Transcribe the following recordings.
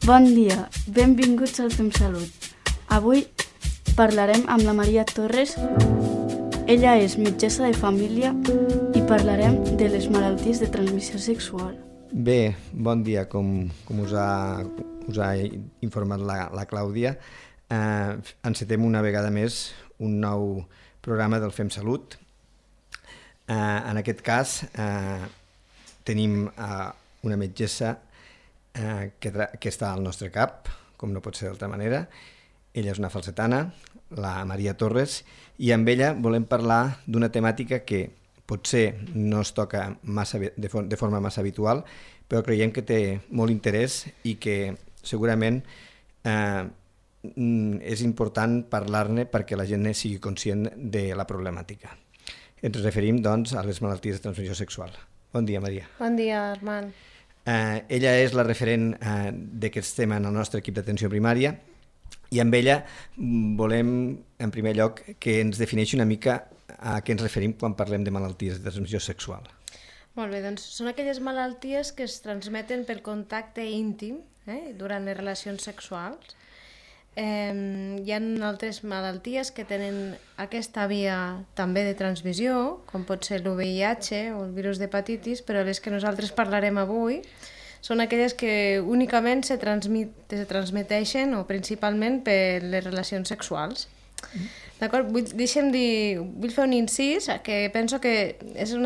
Bon dia, benvinguts al Fem Salut. Avui parlarem amb la Maria Torres. Ella és metgessa de família i parlarem de les malalties de transmissió sexual. Bé, bon dia. Com us ha informat la Clàudia, encetem una vegada més un nou programa del Fem Salut. En aquest cas tenim una metgessa que està al nostre cap, com no pot ser d'altra manera. Ella és una falsetana, la Maria Torres, i amb ella volem parlar d'una temàtica que potser no es toca de forma massa habitual, però creiem que té molt interès i que segurament és important parlar-ne perquè la gent sigui conscient de la problemàtica. Ens referim, doncs, a les malalties de transmissió sexual. Bon dia, Maria. Bon dia, Armand. Ella és la referent d'aquest tema en el nostre equip d'atenció primària i amb ella volem, en primer lloc, que ens defineixi una mica a què ens referim quan parlem de malalties de transmissió sexual. Molt bé, doncs són aquelles malalties que es transmeten per contacte íntim durant les relacions sexuals. Hi ha altres malalties que tenen aquesta via també de transmissió, com pot ser l'VIH o el virus d'hepatitis, però les que nosaltres parlarem avui són aquelles que únicament se transmeteixen o principalment per les relacions sexuals. D'acord? Vull fer un incís que penso que és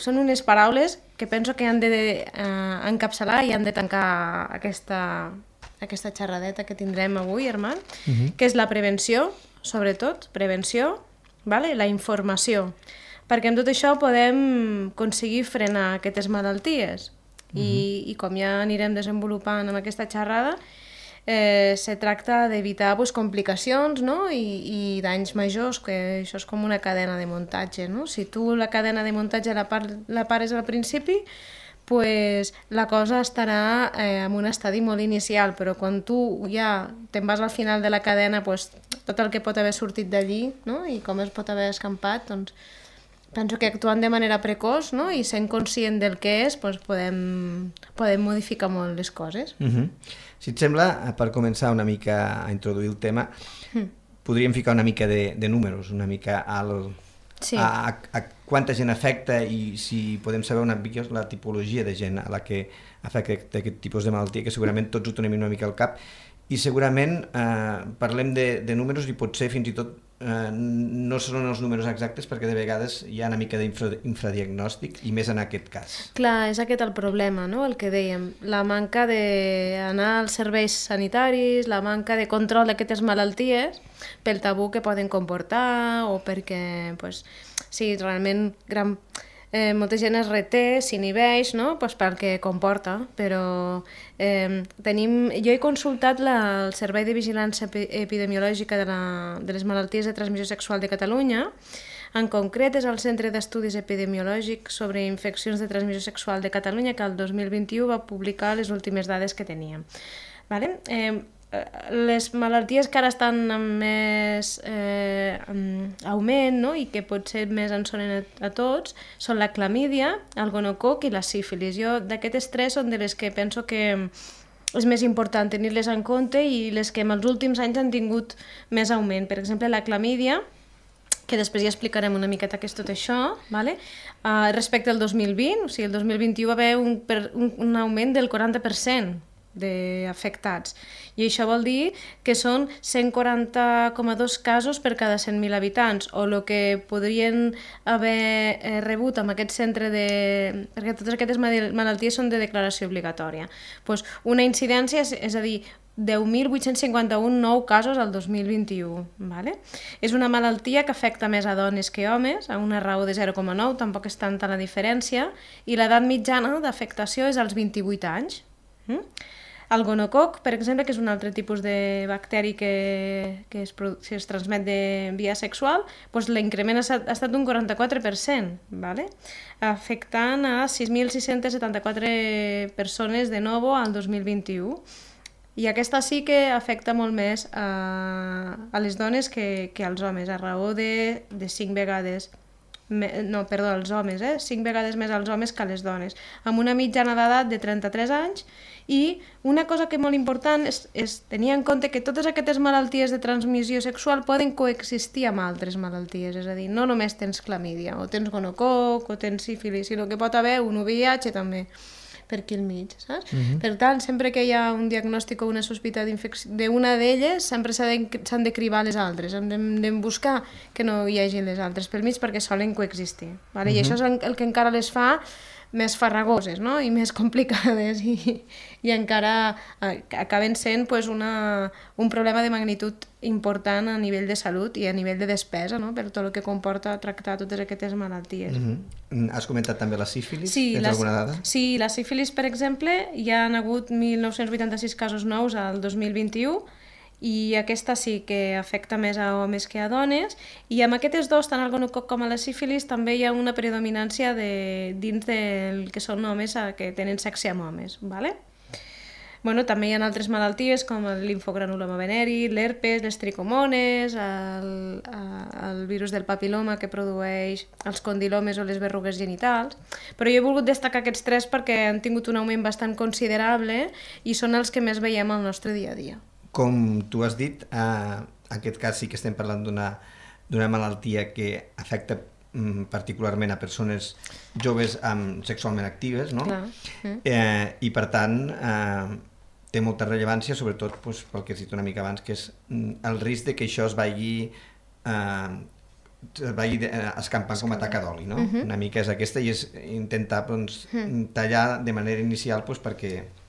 són unes paraules que penso que han d'encapçalar i han de tancar aquesta xerradeta que tindrem avui, Armand, que és la prevenció, sobretot, prevenció, la informació, perquè amb tot això podem aconseguir frenar aquestes malalties i com ja anirem desenvolupant en aquesta xerrada, se tracta d'evitar complicacions i danys majors, que això és com una cadena de muntatge. Si tu la cadena de muntatge la pares al principi, la cosa estarà en un estadi molt inicial, però quan tu ja te'n vas al final de la cadena, tot el que pot haver sortit d'allí i com es pot haver escampat, doncs penso que actuant de manera precoç i sent conscient del que és, podem modificar molt les coses. Si et sembla, per començar una mica a introduir el tema, podríem ficar una mica de números, una mica a quanta gent afecta i si podem saber una mica la tipologia de gent a la que afecta aquest tipus de malaltia, que segurament tots ho tenim una mica al cap, i segurament parlem de números i potser fins i tot no són els números exactes perquè de vegades hi ha una mica d'infradiagnòstic i més en aquest cas. Clar, és aquest el problema, el que dèiem, la manca d'anar als serveis sanitaris, la manca de control d'aquestes malalties pel tabú que poden comportar o perquè realment molta gent es reté, s'inhibeix pel que comporta, però jo he consultat el Servei de Vigilància Epidemiològica de les Malalties de Transmissió Sexual de Catalunya. En concret és el Centre d'Estudis Epidemiològics sobre Infeccions de Transmissió Sexual de Catalunya, que el 2021 va publicar les últimes dades que teníem. Les malalties que ara estan amb més augment i que potser més ens sonen a tots són la clamídia, el gonococ i la sífilis. Jo d'aquestes tres són de les que penso que és més important tenir-les en compte i les que en els últims anys han tingut més augment. Per exemple, la clamídia, que després ja explicarem una miqueta què és tot això, respecte al 2020, o sigui, el 2021 va haver un augment del 40% d'afectats. I això vol dir que són 140,2 casos per cada 100.000 habitants, o el que podrien haver rebut amb aquest centre perquè totes aquestes malalties són de declaració obligatòria. Una incidència, és a dir, 10.851 nous casos al 2021. És una malaltia que afecta més a dones que a homes, a una raó de 0,9, tampoc és tanta la diferència, i l'edat mitjana d'afectació és als 28 anys. El gonococ, per exemple, que és un altre tipus de bacteri que es transmet de via sexual, l'increment ha estat d'un 44%, afectant a 6.674 persones de nou al 2021. I aquesta sí que afecta molt més a les dones que als homes, a raó de 5 vegades els homes, 5 vegades més als homes que a les dones, amb una mitjana d'edat de 33 anys, i una cosa que és molt important és tenir en compte que totes aquestes malalties de transmissió sexual poden coexistir amb altres malalties, és a dir, no només tens clamídia, o tens gonococ, o tens sífilis, sinó que pot haver un VIH també, per aquí al mig, saps? Per tant, sempre que hi ha un diagnòstic o una sospita d'una d'elles, sempre s'han de cribar les altres, hem de buscar que no hi hagi les altres pel mig perquè solen coexistir, vale? I això és el que encara les fa més farragoses, no? I més complicades i encara acaben sent pues, un problema de magnitud important a nivell de salut i a nivell de despesa, no? Per tot el que comporta tractar totes aquestes malalties. Has comentat també la sífilis? Sí, tens alguna dada? Sí, la sífilis, per exemple, hi ha hagut 1.986 casos nous al 2021 i aquesta sí que afecta més a homes que a dones, i amb aquestes dos, tant el gonococ com a la sífilis, també hi ha una predominància dins del que són homes que tenen sexe amb homes, ¿vale? Bueno, també hi ha altres malalties com el linfogranuloma veneri, l'herpes, les tricomones, el virus del papiloma que produeix els condilomes o les verrugues genitals, però jo he volgut destacar aquests 3 perquè han tingut un augment bastant considerable i són els que més veiem al nostre dia a dia. Com tu has dit, en aquest cas sí que estem parlant d'una malaltia que afecta particularment a persones joves sexualment actives, no? I per tant té molta rellevància, sobretot pel que has dit una mica abans, que és el risc de que això es vagi escampant com a taca d'oli, no? Una mica és aquesta, i és intentar tallar de manera inicial perquè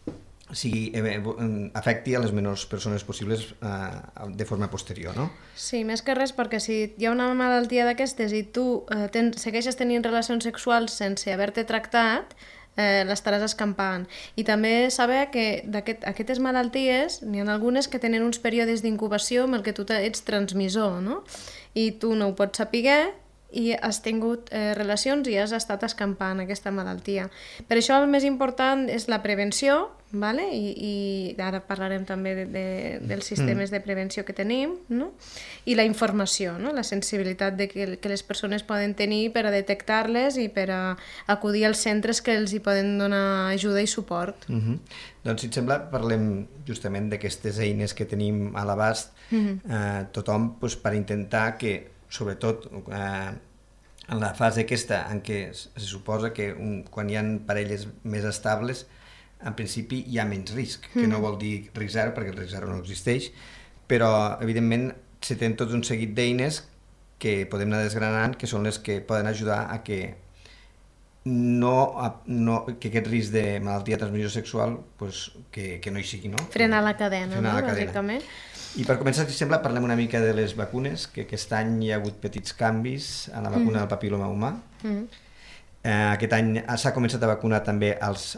afecti a les menors persones possibles de forma posterior, no? Sí, més que res perquè si hi ha una malaltia d'aquestes i tu segueixes tenint relacions sexuals sense haver-te tractat, l'estaràs escampant. I també saber que d'aquestes malalties n'hi ha algunes que tenen uns períodes d'incubació amb el que tu ets transmissor, no? I tu no ho pots saber i has tingut relacions i has estat escampant aquesta malaltia. Per això el més important és la prevenció, vale? I ara parlarem també dels sistemes de prevenció que tenim, no? I la informació, no? La sensibilitat que les persones poden tenir per a detectar-les i per a acudir als centres que els hi poden donar ajuda i suport. Doncs, si et sembla, parlem justament d'aquestes eines que tenim a l'abast tothom per intentar que, sobretot en la fase aquesta en què se suposa que quan hi ha parelles més estables, en principi hi ha menys risc, que no vol dir risc zero, perquè el risc zero no existeix, però evidentment se tenen tots un seguit d'eines que podem anar desgranant, que són les que poden ajudar a que que aquest risc de malaltia de transmissió sexual que no hi sigui, no? Frenar la cadena, no? Bàsicament. I per començar, si sembla, parlem una mica de les vacunes, que aquest any hi ha hagut petits canvis a la vacuna del papiloma humà. Aquest any s'ha començat a vacunar també els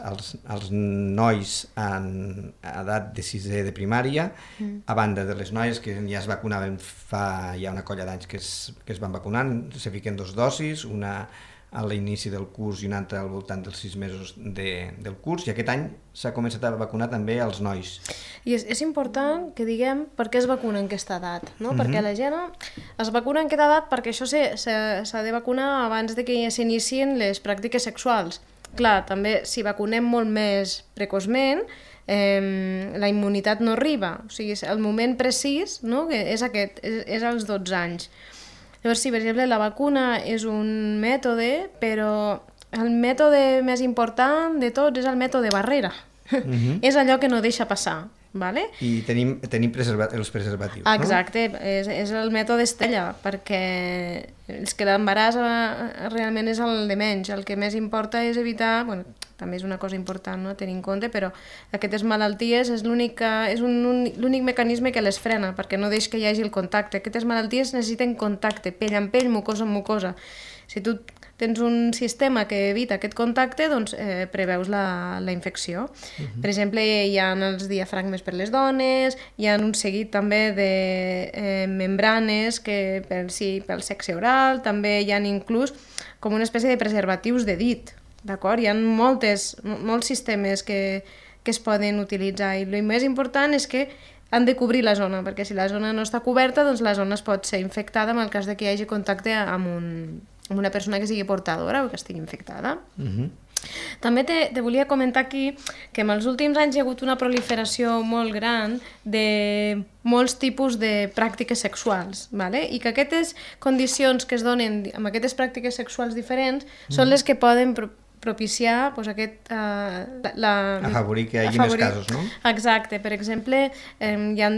nois en edat de 6è de primària, a banda de les noies que ja es vacunaven fa ja una colla d'anys que es van vacunant, se fiquen 2 dosis, una a l'inici del curs i una altra al voltant dels 6 mesos del curs, i aquest any s'ha començat a vacunar també els nois. I és important que diguem per què es vacuna en aquesta edat, no? Perquè la gent es vacuna en aquesta edat perquè això s'ha de vacunar abans de que s'inicien les pràctiques sexuals. Clar, també si vacunem molt més precoçment, la immunitat no arriba, o sigui, el moment precís, no? És aquest, és als 12 anys. Llavors, sí, per exemple, la vacuna és un mètode, però el mètode més important de tots és el mètode barrera. És allò que no deixa passar. Vale? I tenim els preservatius, no? Exacte, és el mètode estella, perquè és que l'embaràs realment és el de menys. El que més importa és evitar, bueno, també és una cosa important, no?, tenir en compte, però aquestes malalties és l'únic mecanisme que les frena, perquè no deix que hi hagi el contacte. Aquestes malalties necessiten contacte, pell amb pell, mucosa amb mucosa. Si tu tens un sistema que evita aquest contacte, doncs preveus la infecció. Per exemple, hi ha els diafragmes per les dones, hi ha un seguit també de membranes que pel sexe oral, també hi ha inclús com una espècie de preservatius de dit, d'acord? Hi ha molts sistemes que es poden utilitzar, i el més important és que han de cobrir la zona, perquè si la zona no està coberta, doncs la zona es pot ser infectada en el cas de que hi hagi contacte amb amb una persona que sigui portadora o que estigui infectada. També te volia comentar aquí que en els últims anys hi ha hagut una proliferació molt gran de molts tipus de pràctiques sexuals, ¿vale? I que aquestes condicions que es donen amb aquestes pràctiques sexuals diferents són les que poden propiciar pues, afavorir que hi hagi més casos, no? Exacte. Per exemple, hi ha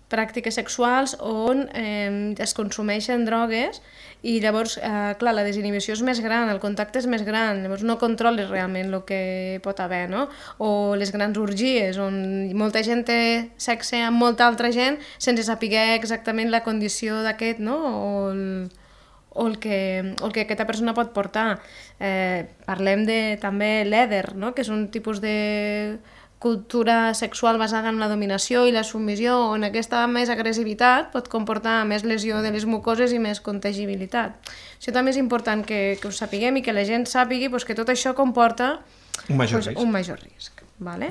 pràctiques sexuals on es consumeixen drogues i llavors, clar, la desinhibició és més gran, el contacte és més gran, llavors no controles realment el que pot haver, no? O les grans orgies, on molta gent té sexe amb molta altra gent sense saber exactament la condició d'aquest, no? O el que aquesta persona pot portar. Parlem de també l'èder, no? Que és un tipus de cultura sexual basada en la dominació i la submissió, on aquesta més agressivitat pot comportar més lesió de les mucoses i més contagibilitat. Això també és important que ho sapiguem i que la gent sàpigui que tot això comporta un major risc. Vale?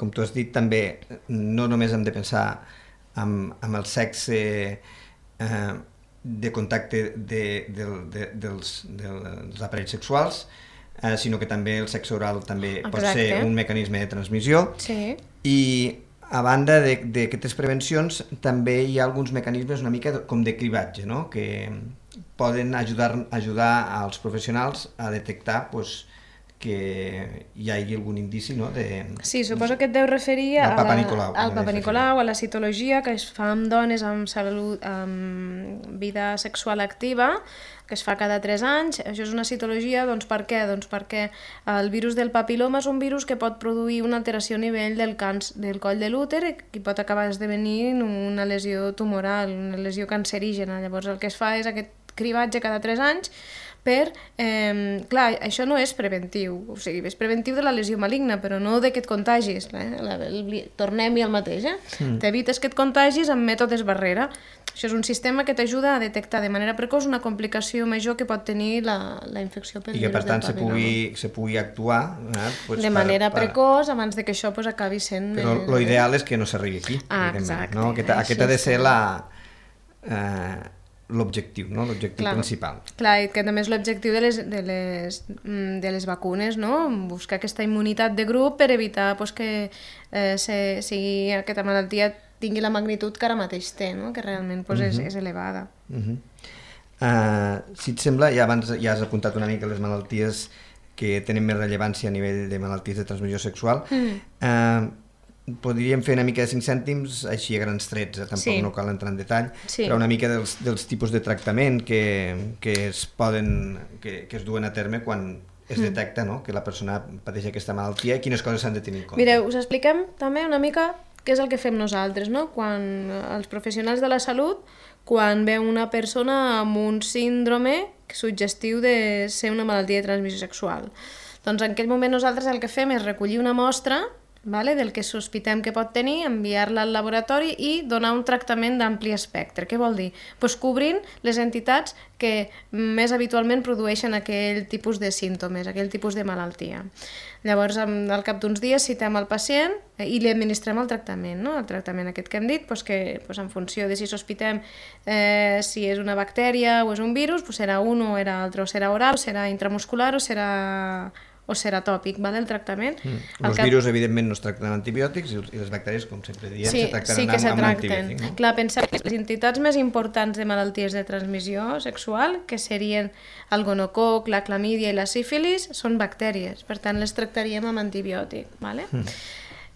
Com tu has dit, també no només hem de pensar amb el sexe de contacte dels aparells sexuals, sinó que també el sexe oral també pot ser un mecanisme de transmissió. Sí. I a banda d'aquestes prevencions també hi ha alguns mecanismes una mica com de cribatge, no? Que poden ajudar als professionals a detectar que hi hagi algun indici, no? Sí, suposo que et deu referir al Papa Nicolau, a la citologia que es fa amb dones amb vida sexual activa, que es fa cada 3 anys. Això és una citologia, doncs per què? Doncs perquè el virus del papiloma és un virus que pot produir una alteració a nivell del coll de l'úter i pot acabar esdevenint una lesió tumoral, una lesió cancerígena. Llavors el que es fa és aquest cribatge cada 3 anys per... clar, això no és preventiu, o sigui, és preventiu de la lesió maligna, però no de que et contagis. Tornem-hi al mateix, T'evites que et contagis amb mètodes barrera. Això és un sistema que t'ajuda a detectar de manera precoç una complicació major que pot tenir la infecció pel virus del papiloma. I que, per tant, se pugui actuar... de manera precoç, abans que això acabi sent... Però l'ideal és que no s'arribi aquí. Exacte. No? Aquest ha de ser l'objectiu, no? L'objectiu principal. Clar, i que també és l'objectiu de les vacunes, no? Buscar aquesta immunitat de grup per evitar que sigui aquesta malaltia tingui la magnitud que ara mateix té, no? Que realment és elevada. Si et sembla, abans ja has apuntat una mica les malalties que tenen més rellevància a nivell de malalties de transmissió sexual. Podríem fer una mica de 5 cèntims així a grans trets, tampoc no cal entrar en detall, però una mica dels tipus de tractament que es duen a terme quan es detecta que la persona pateix aquesta malaltia i quines coses s'han de tenir en compte. Mireu, us expliquem també una mica què és el que fem nosaltres, no? Quan els professionals de la salut, quan veu una persona amb un síndrome suggestiu de ser una malaltia de transmissió sexual. Doncs en aquell moment nosaltres el que fem és recollir una mostra del que sospitem que pot tenir, enviar-la al laboratori i donar un tractament d'ampli espectre. Què vol dir? Doncs cobrint les entitats que més habitualment produeixen aquell tipus de símptomes, aquell tipus de malaltia. Llavors, al cap d'uns dies citem el pacient i li administrem el tractament, no? El tractament aquest que hem dit, que en funció de si sospitem si és una bactèria o és un virus, serà un o era altre, o serà oral, o serà intramuscular o serà tòpic, el tractament. Els virus, evidentment, no es tracten amb antibiòtics i les bactèries, com sempre diem, se tracten amb antibiòtics. No? Clar, pensem que les entitats més importants de malalties de transmissió sexual, que serien el gonococ, la clamídia i la sífilis, són bactèries, per tant les tractaríem amb antibiòtic.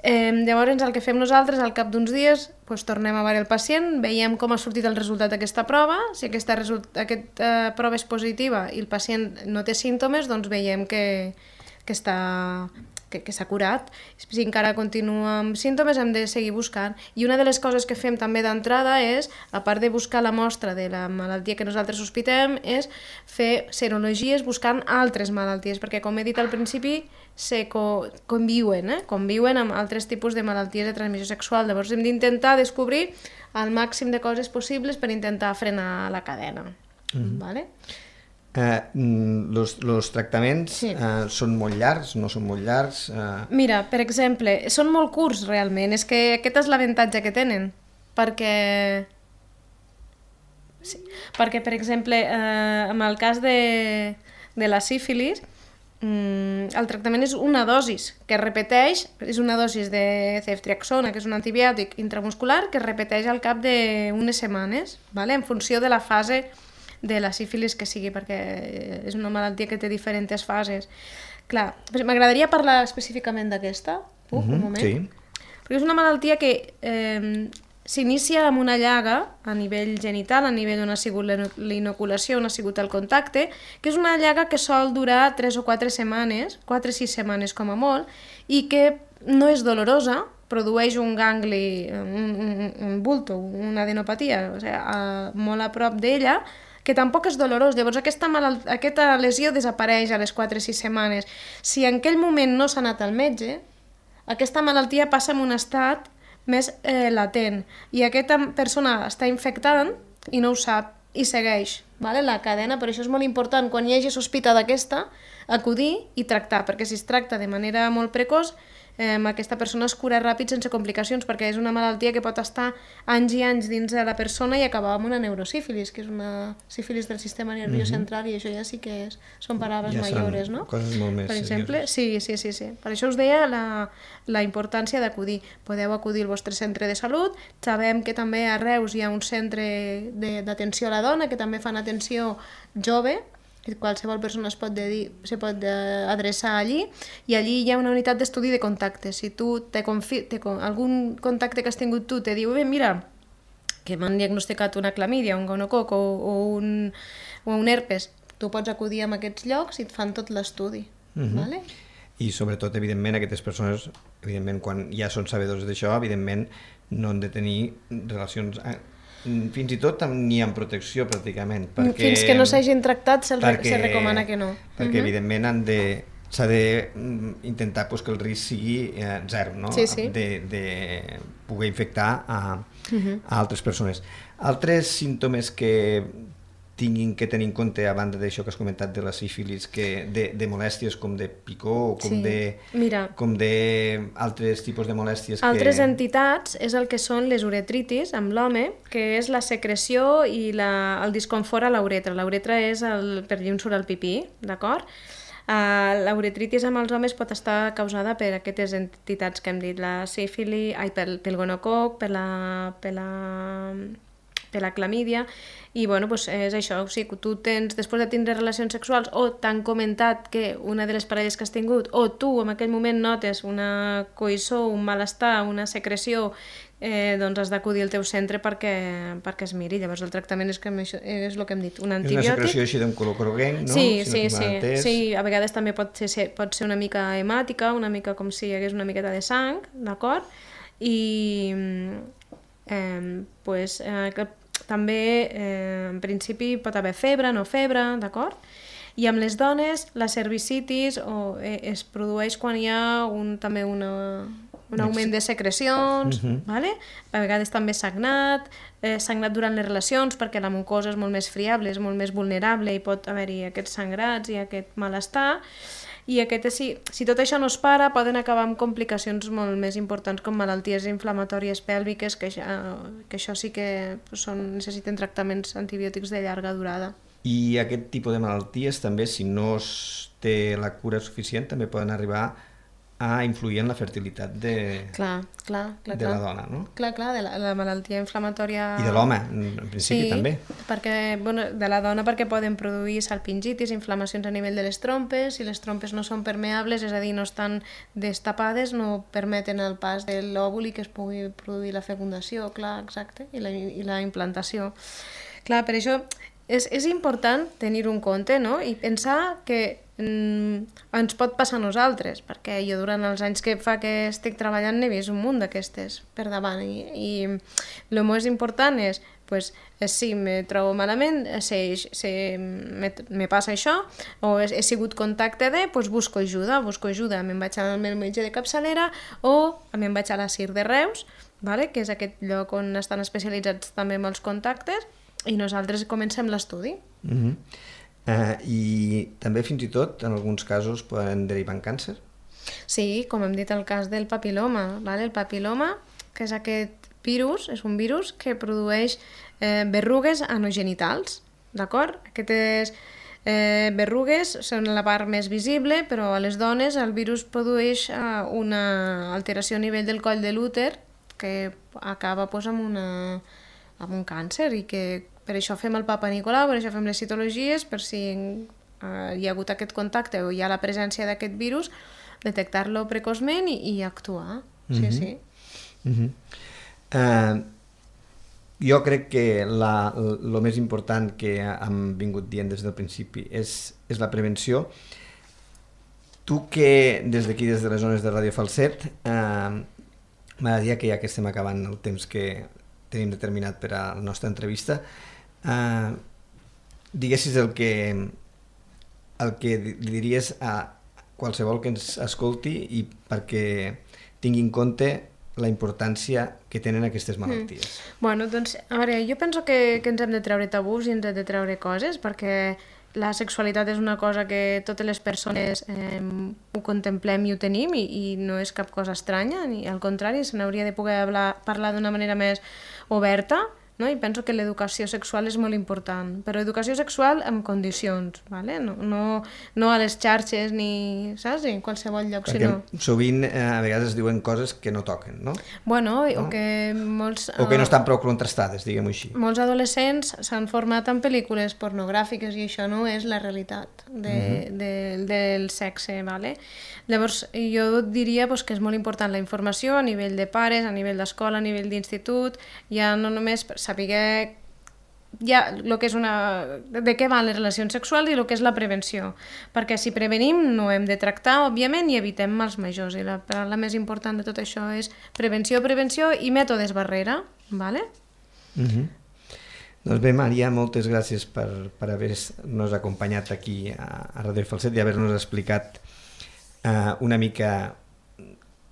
Llavors el que fem nosaltres, al cap d'uns dies, tornem a veure el pacient, veiem com ha sortit el resultat d'aquesta prova, si aquesta prova és positiva i el pacient no té símptomes, doncs veiem que s'ha curat. Si encara continua amb símptomes hem de seguir buscant. I una de les coses que fem també d'entrada és, a part de buscar la mostra de la malaltia que nosaltres sospitem, és fer serologies buscant altres malalties, perquè com he dit al principi, conviuen amb altres tipus de malalties de transmissió sexual. Llavors hem d'intentar descobrir el màxim de coses possibles per intentar frenar la cadena. Vale? Els tractaments són molt llargs, no són molt llargs? Mira, per exemple, són molt curts realment, és que aquest és l'avantatge que tenen, perquè Sí. Perquè, per exemple, en el cas de la sífilis, el tractament és una dosis que es repeteix, és una dosis de ceftriaxona, que és un antibiòtic intramuscular, que es repeteix al cap d'unes setmanes, ¿vale? En funció de la fase de la sífilis que sigui, perquè és una malaltia que té diferents fases. Clar, m'agradaria parlar específicament d'aquesta, un moment. Sí. Perquè és una malaltia que s'inicia amb una llaga a nivell genital, a nivell on ha sigut l'inoculació, on ha sigut el contacte, que és una llaga que sol durar 3 o 4 setmanes, 4 o 6 setmanes com a molt, i que no és dolorosa, produeix un gangli, un bulto, una adenopatia, o sigui, molt a prop d'ella, que tampoc és dolorós. Llavors aquesta lesió desapareix a les 4 o 6 setmanes. Si en aquell moment no s'ha anat al metge, aquesta malaltia passa en un estat més latent i aquesta persona està infectant i no ho sap i segueix, vale? La cadena. Per això és molt important, quan hi hagi sospita d'aquesta, acudir i tractar, perquè si es tracta de manera molt precoç, aquesta persona es cura ràpid sense complicacions, perquè és una malaltia que pot estar anys i anys dins de la persona i acabar amb una neurosífilis, que és una sífilis del sistema nerviós central, i això ja sí que són paraules mayores, no? Coses molt més per exemple, sí. Per això us deia la importància d'acudir. Podeu acudir al vostre centre de salut. Sabem que també a Reus hi ha un centre d'atenció a la dona que també fan atenció jove, qualsevol persona se pot adreçar allí, i allí hi ha una unitat d'estudi de contactes. Si tu algun contacte que has tingut tu te diu, bé, mira, que m'han diagnosticat una clamídia, un gonococ o un herpes, tu pots acudir a aquests llocs i et fan tot l'estudi. Vale? I sobretot, evidentment, aquestes persones, evidentment, quan ja són sabedors d'això, evidentment no han de tenir relacions fins i tot ni amb protecció pràcticament. Perquè, fins que no s'hagin tractat se recomana que no. Perquè evidentment s'ha d'intentar que el risc sigui zero, no? Sí. De poder infectar a altres persones. Altres símptomes que tinguin que tenir en compte, a banda d'això que has comentat de la sífilis, de molèsties com de picor o com d'altres tipus de molèsties. Altres entitats és el que són les uretritis amb l'home, que és la secreció i el disconfort a la uretra. La uretra és per allà on surt el pipí, d'acord? La uretritis amb els homes pot estar causada per aquestes entitats que hem dit, la sífilis, pel gonococ, per la clamídia, i bueno, doncs és això, o sigui, tu tens, després de tindre relacions sexuals, o t'han comentat que una de les parelles que has tingut, o tu en aquell moment notes una coïssor, un malestar, una secreció, doncs has d'acudir al teu centre perquè es miri. Llavors el tractament és el que hem dit, un antibiòtic. És una secreció així d'un color groguenc, no? Sí, a vegades també pot ser una mica hemàtica, una mica com si hi hagués una miqueta de sang, d'acord? I també en principi pot haver febre, no febre, d'acord? I amb les dones la cervicitis es produeix quan hi ha també un augment de secrecions, vale? A vegades també sagnat durant les relacions, perquè la mucosa és molt més friable, és molt més vulnerable i pot haver-hi aquests sangrats i aquest malestar. I si tot això no es para, poden acabar amb complicacions molt més importants com malalties inflamatòries pèlviques, que això sí que necessiten tractaments antibiòtics de llarga durada. I aquest tipus de malalties també, si no es té la cura suficient, també poden arribar a influir en la fertilitat de la dona, no? Clar, de la malaltia inflamatòria... I de l'home, en principi, també. De la dona perquè poden produir salpingitis, inflamacions a nivell de les trompes, si les trompes no són permeables, és a dir, no estan destapades, no permeten el pas de l'òvul i que es pugui produir la fecundació, clar, exacte, i la implantació. Clar, per això és important tenir-ho en compte, no? I pensar que ens pot passar a nosaltres, perquè jo durant els anys que estic treballant n'he vist un munt d'aquestes per davant, i el més important és, si me trobo malament, me passa això, o he sigut contacte busco ajuda, me'n vaig al meu metge de capçalera o me'n vaig a la CIR de Reus, que és aquest lloc on estan especialitzats també amb els contactes, i nosaltres comencem l'estudi. I també fins i tot en alguns casos poden derivar en càncer? Sí, com hem dit el cas del papiloma. El papiloma, que és aquest virus és un virus que produeix berrugues anogenitals, d'acord? Aquestes berrugues són la part més visible, però a les dones el virus produeix una alteració a nivell del coll de l'úter que acaba amb un càncer, i que per això fem el Papa Nicolau, per això fem les citologies, per si hi ha hagut aquest contacte o hi ha la presència d'aquest virus, detectar-lo precoçment i actuar. Sí. Jo crec que el més important que hem vingut dient des del principi és la prevenció. Tu que des d'aquí, des de les zones de Ràdio Falset, m'agradaria que ja que estem acabant el temps que tenim determinat per a la nostra entrevista, diguessis el que diries a qualsevol que ens escolti i perquè tingui en compte la importància que tenen aquestes malalties. Bueno, doncs, a veure, jo penso que ens hem de treure tabús i ens hem de treure coses, perquè la sexualitat és una cosa que totes les persones ho contemplem i ho tenim, i no és cap cosa estranya, ni al contrari, se n'hauria de poder parlar d'una manera més oberta, no? I penso que l'educació sexual és molt important, però educació sexual amb condicions, ¿vale? No a les xarxes ni, saps? En qualsevol lloc, perquè sovint a vegades es diuen coses que no toquen, no? Bueno, no? O que molts... O que no estan prou contrastades, diguem-ho així. Molts adolescents s'han format en pel·lícules pornogràfiques i això no és la realitat del sexe, ¿vale? Llavors, jo diria que és molt important la informació a nivell de pares, a nivell d'escola, a nivell d'institut, ja no només saber lo que és de què van les relacions sexuals i el que és la prevenció, perquè si prevenim no hem de tractar, òbviament, i evitem mals majors, i la paraula més important de tot això és prevenció i mètodes barrera, ¿vale? Doncs bé, Maria, moltes gràcies per haver-nos acompanyat aquí a Ràdio Falset i haver-nos explicat una mica,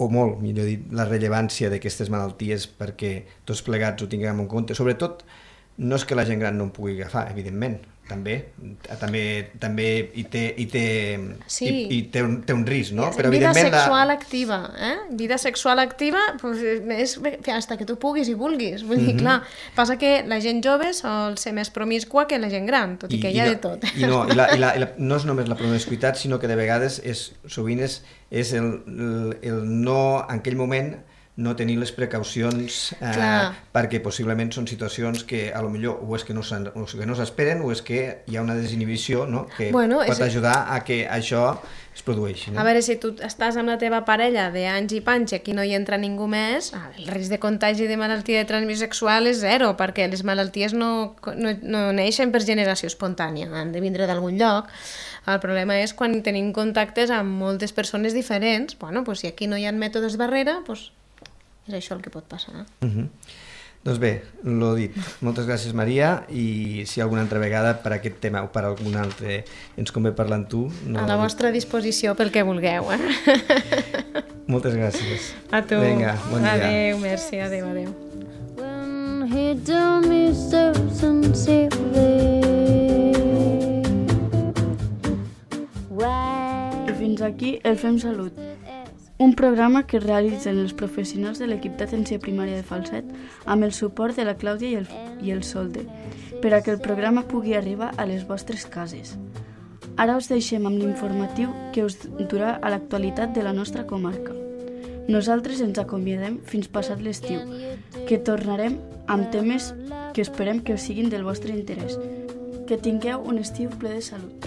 o molt, millor dit, la rellevància d'aquestes malalties perquè tots plegats ho tinguem en compte. Sobretot, no és que la gent gran no en pugui agafar, evidentment, també hi té un risc, no? Però vida sexual activa, Vida sexual activa és fins que tu puguis i vulguis. Vull dir, clar, passa que la gent jove sol ser més promiscua que la gent gran, tot i que hi ha de tot. I no és només la promiscuitat, sinó que de vegades sovint és el no, en aquell moment, no tenir les precaucions perquè possiblement són situacions que a lo millor o és que no s'esperen o és que hi ha una desinhibició, no? Que pot ajudar a que això es produeixi. No? A veure, si tu estàs amb la teva parella d'anys i panys i aquí no hi entra ningú més, el risc de contagi de malaltia de transmissió sexual és zero, perquè les malalties no neixen per generació espontània, han de vindre d'algun lloc. El problema és quan tenim contactes amb moltes persones diferents, si aquí no hi ha mètodes barrera, és això el que pot passar. Doncs bé, l'ho dit. Moltes gràcies, Maria, i si alguna altra vegada per aquest tema o per algun altre ens convé parlar amb tu... A la vostra disposició pel que vulgueu. Moltes gràcies. A tu. Vinga, bon dia. Adéu, merci, adéu. When he told me so sincerely. I fins aquí el Fem Salut, un programa que realitzen els professionals de l'equip d'atenció primària de Falset amb el suport de la Clàudia i el Solde, per a que el programa pugui arribar a les vostres cases. Ara us deixem amb l'informatiu que us durà a l'actualitat de la nostra comarca. Nosaltres ens acomiadem fins passat l'estiu, que tornarem amb temes que esperem que us siguin del vostre interès. Que tingueu un estiu ple de salut.